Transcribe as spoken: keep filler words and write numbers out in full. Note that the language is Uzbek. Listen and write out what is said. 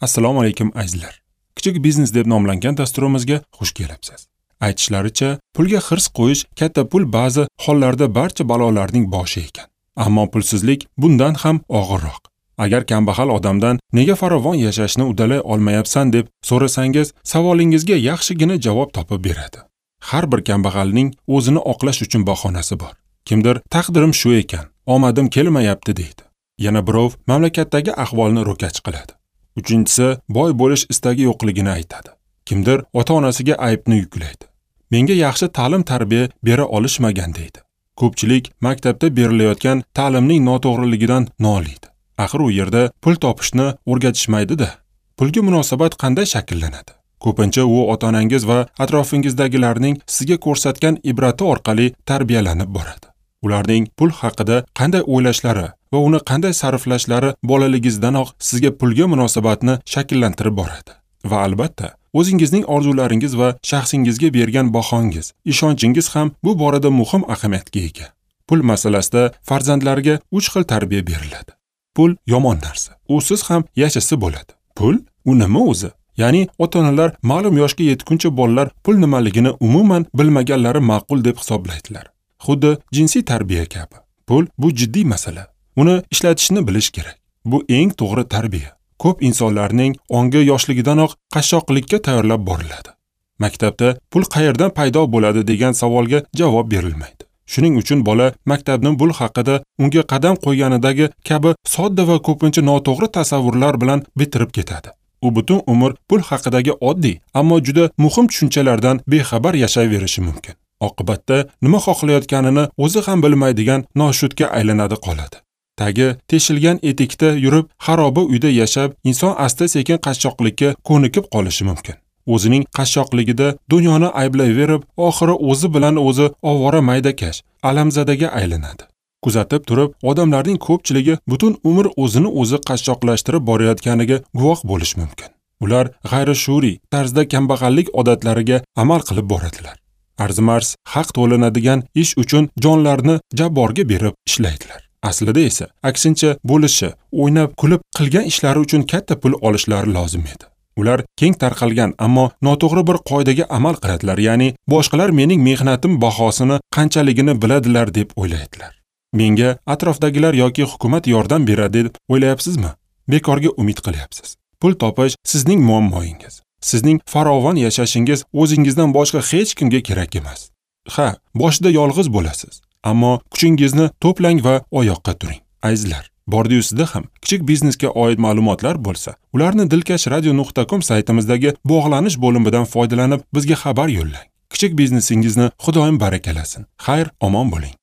Assalomu alaykum azizlar. Kichik biznes deb nomlangan dasturimizga xush kelibsiz. Aytishlaricha, pulga hirs qo'yish katta pul ba'zi hollarda barcha balolarning boshi ekan. Ammo pulsizlik bundan ham og'irroq. Agar kambag'al odamdan nega farovon yashashni uddalay olmayapsan deb so'rasangiz, savolingizga yaxshigina javob topib beradi. Har bir kambag'alning o'zini oqlash uchun bahonasi bor. Kimdir taqdirim shu ekan, omadim kelmayapti deydi. Yana birov mamlakatdagi ahvolni ro'kach qiladi. Uchinchisi boy bo'lish istagi yo'qligini aytadi. Kimdir ota-onasiga aybni yuklaydi. Menga yaxshi ta'lim-tarbiya bera olishmagan deydi. Ko'pchilik maktabda berilayotgan ta'limning noto'g'riligidan noliydi. Axir u yerda pul topishni o'rgatishmaydi-da. Pulga munosabat qanday shakllanadi? Ko'pincha u ota-onangiz va atrofingizdagilarning sizga ko'rsatgan ibrati orqali tarbiyalanib boradi. Ularning pul haqida qanday o'ylashlari va uni qanday sarflashlari bolaligingizdanoq sizga pulga munosabatni shakllantirib boradi. Va albatta, o'zingizning orzularingiz va shaxsingizga bergan bahongiz, ishonchingiz ham bu borada muhim ahamiyatga ega. Pul masalasida farzandlarga uch xil tarbiya beriladi. Pul yomon narsa. Usiz ham yashasa bo'ladi. Pul u nima o'zi? Ya'ni ota-onalar ma'lum yoshga yetguncha bolalar pul nimaligini umuman bilmaganlari ma'qul deb hisoblaydilar. Xuddi jinsiy tarbiya kabi. Pul bu jiddiy masala. Uni ishlatishni bilish kerak. Bu eng to'g'ri tarbiya. Ko'p insonlarning ongi yoshligidanoq qashshoqlikka tayyorlab boriladi. Maktabda pul qayerdan paydo bo'ladi degan savolga javob berilmaydi. Shuning uchun bola maktabning pul haqida unga qadam qo'yganidagi kabi sodda va ko'pincha noto'g'ri tasavvurlar bilan bitirib ketadi. U butun umr pul haqidagi oddiy, ammo juda muhim tushunchalardan bexabar yashayverishi mumkin. Oqibatda nima xohlayotganini o'zi ham bilmaydigan noshudga aylanadi qoladi. Tagi teshilgan etikda yurib, xaroba uyda yashab, inson asta-sekin qashshoqlikka ko'nikib qolishi mumkin. O'zining qashshoqligida dunyoni ayblayverib, oxiri o'zi bilan o'zi ovora maydakash, alamzadaga aylanadi. Kuzatib turib, odamlarning ko'pchiligi butun umr o'zini o'zi qashshoqlashtirib borayotganiga guvoh bo'lish mumkin. Ular g'ayrishuuriy tarzda kambag'allik odatlariga amal qilib boradilar. Arzimas haq to'lanadigan ish uchun jonlarini jabborga berib ishlaydilar. Aslida esa aksincha bo'lishi, o'ynab kulib qilgan ishlari uchun katta pul olishlari lozim edi. Ular keng tarqalgan, ammo noto'g'ri bir qoidaga amal qiladilar, ya'ni boshqalar mening mehnatim bahosini qanchaligini biladilar deb o'ylaydilar. Menga atrofdagilar yoki hukumat yordam beradi deb o'ylayapsizmi? Bekorga umid qilyapsiz. Pul topish sizning muammoyingiz. Sizning farovon yashashingiz o'zingizdan boshqa hech kimga kerak emas. Ha, boshida yolg'iz bo'lasiz, ammo kuchingizni to'plang va oyoqqa turing. Azizlar, bordiyu sizda ham kichik biznesga oid ma'lumotlar bo'lsa, ularni dilkash radio nuqta com saytimizdagi bog'lanish bo'limidan foydalanib bizga xabar yo'llang. Kichik biznesingizni Xudoyim barakalasin. Xayr, omon bo'ling.